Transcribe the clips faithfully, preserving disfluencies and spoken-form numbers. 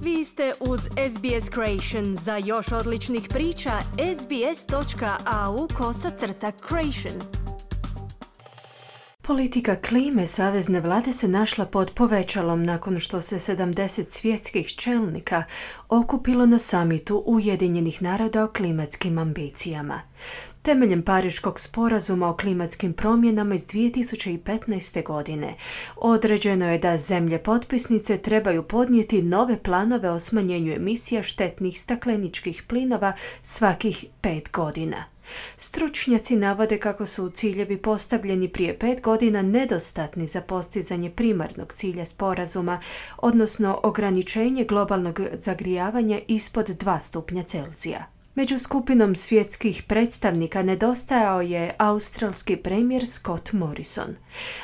Vi ste uz S B S Creation. Za još odličnih priča, sbs.au kosacrta Creation. Politika klime savezne vlade se našla pod povećalom nakon što se sedamdeset svjetskih čelnika okupilo na samitu Ujedinjenih naroda o klimatskim ambicijama. Temeljem Pariškog sporazuma o klimatskim promjenama iz dvije tisuće petnaeste. godine određeno je da zemlje potpisnice trebaju podnijeti nove planove o smanjenju emisija štetnih stakleničkih plinova svakih pet godina. Stručnjaci navode kako su ciljevi postavljeni prije pet godina nedostatni za postizanje primarnog cilja sporazuma, odnosno ograničenje globalnog zagrijavanja ispod dva stupnja Celzija. Među skupinom svjetskih predstavnika nedostajao je australski premijer Scott Morrison.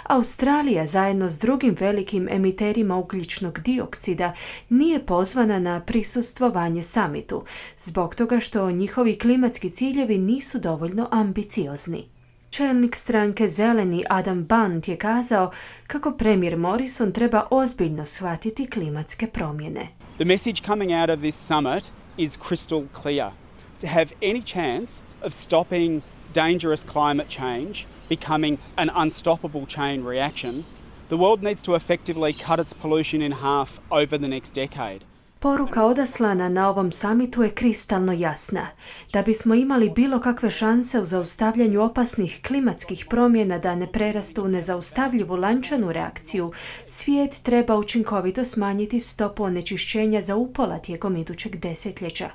Australija zajedno s drugim velikim emiterima ugljičnog dioksida nije pozvana na prisustvovanje samitu, zbog toga što njihovi klimatski ciljevi nisu dovoljno ambiciozni. Čelnik stranke Zeleni Adam Band je kazao kako premijer Morrison treba ozbiljno shvatiti klimatske promjene. The message coming out of this summit is crystal clear. To have any chance of stopping dangerous climate change becoming an unstoppable chain reaction, the world needs to effectively cut its pollution in half over the next decade. Poruka odaslana na ovom samitu je kristalno jasna. Da bismo imali bilo kakve šanse u zaustavljanju opasnih klimatskih promjena da ne prerastu u nezaustavljivu lančanu reakciju, svijet treba učinkovito smanjiti stopu onečišćenja za upola tijekom idućeg desetljeća.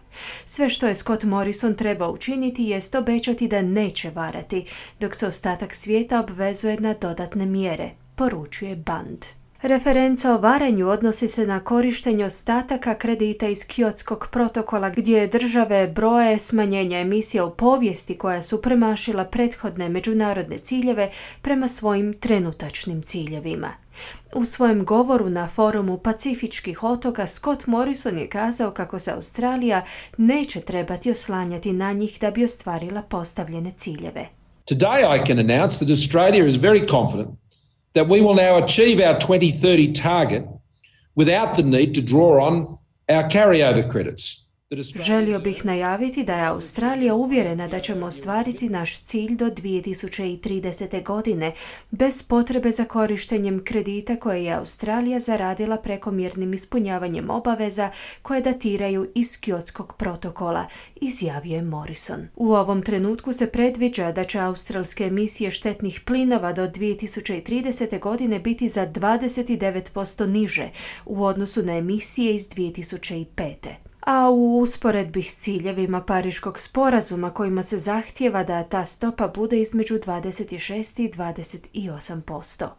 Sve što je Scott Morrison treba učiniti jest obećati da neće varati, dok se ostatak svijeta obvezuje na dodatne mjere, poručuje Band. Referenca o varanju odnosi se na korištenje ostataka kredita iz Kyotskog protokola gdje države broje smanjenja emisija u povijesti koja su premašila prethodne međunarodne ciljeve prema svojim trenutačnim ciljevima. U svojem govoru na forumu Pacifičkih otoka Scott Morrison je kazao kako se Australija neće trebati oslanjati na njih da bi ostvarila postavljene ciljeve. Today I can announce that Australia is very confident that we will now achieve our twenty thirty target without the need to draw on our carryover credits. Želio bih najaviti da je Australija uvjerena da ćemo ostvariti naš cilj do dvije tisuće tridesete. godine bez potrebe za korištenjem kredita koje je Australija zaradila prekomjernim ispunjavanjem obaveza koje datiraju iz Kyotskog protokola, izjavio je Morrison. U ovom trenutku se predviđa da će australske emisije štetnih plinova do dvije tisuće tridesete. godine biti za dvadeset devet posto niže u odnosu na emisije iz dvije tisuće pete. A u usporedbi s ciljevima Pariškog sporazuma kojima se zahtijeva da ta stopa bude između dvadeset šest i dvadeset osam posto.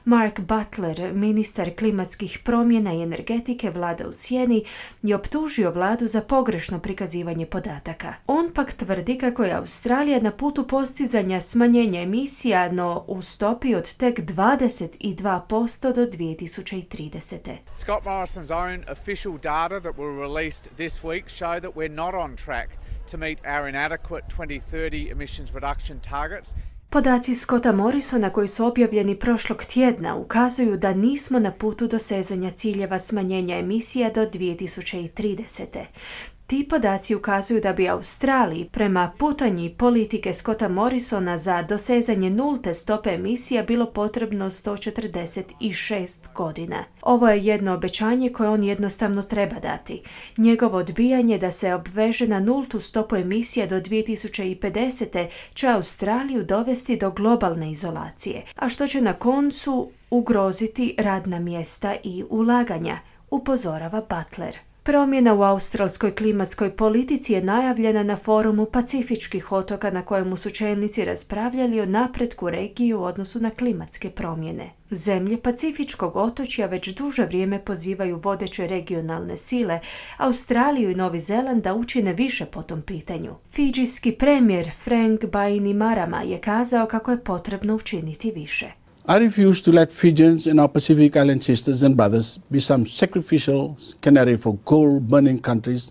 Mark Butler, ministar klimatskih promjena i energetike vlada u sjeni, je optužio vladu za pogrešno prikazivanje podataka. On pak tvrdi kako je Australija na putu postizanja smanjenja emisija, no u stopi od tek dvadeset dva posto do dvije tisuće tridesete. Scott Morrison's own official data that were released this week show that we're not on track to meet our inadequate twenty thirty emissions reduction targets. Podaci Scotta Morrisona koji su objavljeni prošlog tjedna ukazuju da nismo na putu dosezanja ciljeva smanjenja emisija do dvije tisuće tridesete. Ti podaci ukazuju da bi Australiji prema putanji politike Scotta Morrisona za dosezanje nulte stope emisija bilo potrebno sto četrdeset šest godina. Ovo je jedno obećanje koje on jednostavno treba dati. Njegovo odbijanje da se obveže na nultu stopu emisija do dvije tisuće pedesete. će Australiju dovesti do globalne izolacije, a što će na koncu ugroziti radna mjesta i ulaganja, upozorava Butler. Promjena u australskoj klimatskoj politici je najavljena na forumu Pacifičkih otoka na kojemu su čelnici raspravljali o napretku regije u odnosu na klimatske promjene. Zemlje Pacifičkog otočja već duže vrijeme pozivaju vodeće regionalne sile, Australiju i Novi Zeland da učine više po tom pitanju. Fidžijski premijer Frank Bainimarama je kazao kako je potrebno učiniti više. I refuse to let Fijians and our Pacific Island sisters and brothers be some sacrificial canary for coal-burning countries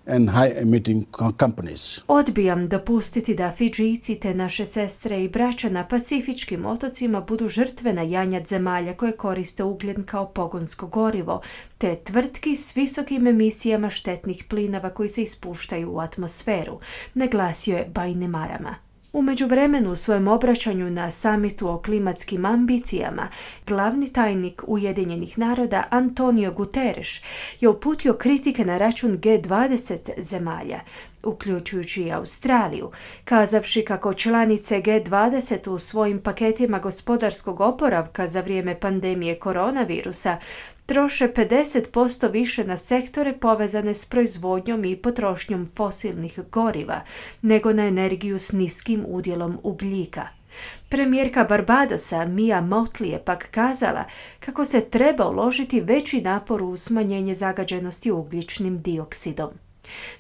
and high-emitting co- companies. Odbijam dopustiti da Fidžijci te naše sestre i braća na pacifičkim otocima budu žrtve na janjad zemalja koje koriste ugljen kao pogonsko gorivo, te tvrtki s visokim emisijama štetnih plinova koji se ispuštaju u atmosferu, naglasio je Bainimarama. U međuvremenu u svojem obraćanju na samitu o klimatskim ambicijama, glavni tajnik Ujedinjenih naroda Antonio Guterres je uputio kritike na račun G dvadeset zemalja, uključujući i Australiju, kazavši kako članice G dvadeset u svojim paketima gospodarskog oporavka za vrijeme pandemije koronavirusa troše pedeset posto više na sektore povezane s proizvodnjom i potrošnjom fosilnih goriva nego na energiju s niskim udjelom ugljika. Premijerka Barbadosa Mia Mottley je pak kazala kako se treba uložiti veći napor u smanjenje zagađenosti ugljičnim dioksidom.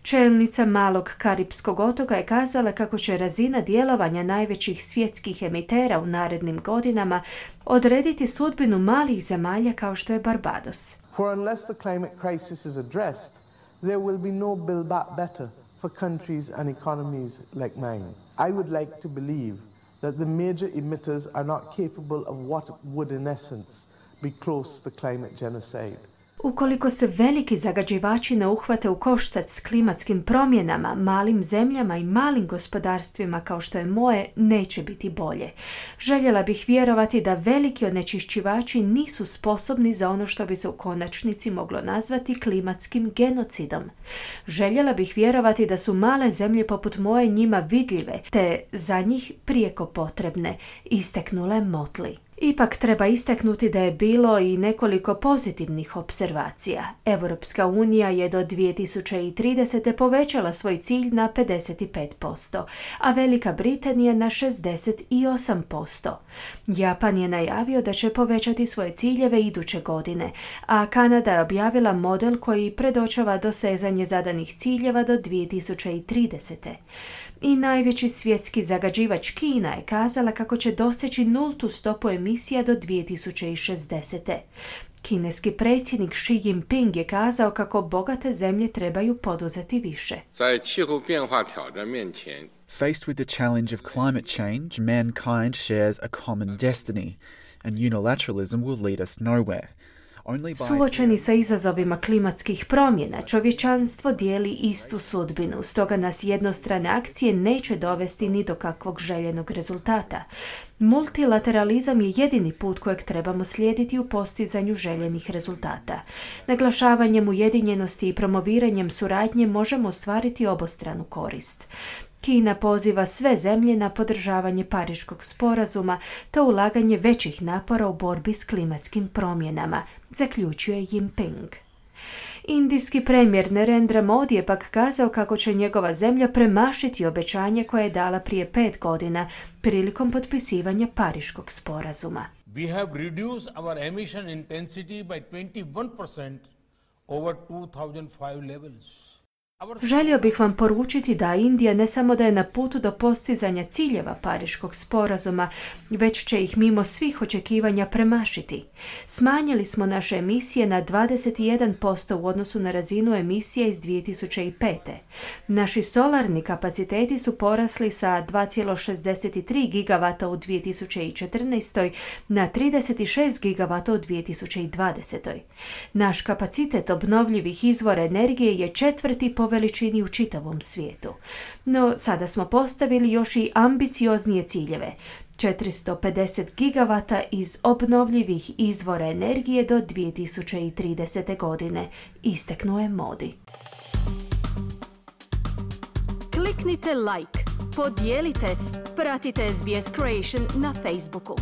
Čelnica malog Karipskog otoka je kazala kako će razina djelovanja najvećih svjetskih emitera u narednim godinama odrediti sudbinu malih zemalja kao što je Barbados. For unless the climate crisis is addressed, there will be no build back better for countries and economies like mine. I would like to believe that the major emitters are not capable of what would in essence be close to climate genocide. Ukoliko se veliki zagađivači ne uhvate u koštac s klimatskim promjenama, malim zemljama i malim gospodarstvima kao što je moje, neće biti bolje. Željela bih vjerovati da veliki onečišćivači nisu sposobni za ono što bi se u konačnici moglo nazvati klimatskim genocidom. Željela bih vjerovati da su male zemlje poput moje njima vidljive, te za njih prijeko potrebne, istaknula je Mottley. Ipak treba istaknuti da je bilo i nekoliko pozitivnih observacija. Europska unija je do dvije tisuće tridesete povećala svoj cilj na pedeset pet posto, a Velika Britanija na šezdeset osam posto. Japan je najavio da će povećati svoje ciljeve iduće godine, a Kanada je objavila model koji predočava dosezanje zadanih ciljeva do dvije tisuće tridesete. I najveći svjetski zagađivač Kina je kazala kako će doseći nultu stopu emisija do dvije tisuće šezdesete. Kineski predsjednik Xi Jinping je kazao kako bogate zemlje trebaju poduzeti više. Faced with the challenge of climate change, mankind shares a common destiny, and unilateralism will lead us nowhere. Suočeni sa izazovima klimatskih promjena, čovječanstvo dijeli istu sudbinu, stoga nas jednostrane akcije neće dovesti ni do kakvog željenog rezultata. Multilateralizam je jedini put kojeg trebamo slijediti u postizanju željenih rezultata. Naglašavanjem ujedinjenosti i promoviranjem suradnje možemo ostvariti obostranu korist. Kina poziva sve zemlje na podržavanje Pariškog sporazuma te ulaganje većih napora u borbi s klimatskim promjenama, zaključuje Jinping. Indijski premijer Narendra Modi je pak kazao kako će njegova zemlja premašiti obećanje koje je dala prije pet godina prilikom potpisivanja Pariškog sporazuma. We have reduced our emission intensity by twenty-one percent over two thousand five levels. Želio bih vam poručiti da Indija ne samo da je na putu do postizanja ciljeva Pariškog sporazuma, već će ih mimo svih očekivanja premašiti. Smanjili smo naše emisije na dvadeset jedan posto u odnosu na razinu emisije iz dvije tisuće pete. Naši solarni kapaciteti su porasli sa dva zarez šezdeset tri gigavata u dvije tisuće četrnaestoj na trideset šest gigavata u dvije tisuće dvadesetoj. Naš kapacitet obnovljivih izvora energije je četvrti po veličini u čitavom svijetu. No, sada smo postavili još i ambicioznije ciljeve. četiristo pedeset gigavata iz obnovljivih izvora energije do dvije tisuće tridesete. godine, istaknuo je Modi. Kliknite like, podijelite, pratite S B S Creation na Facebooku.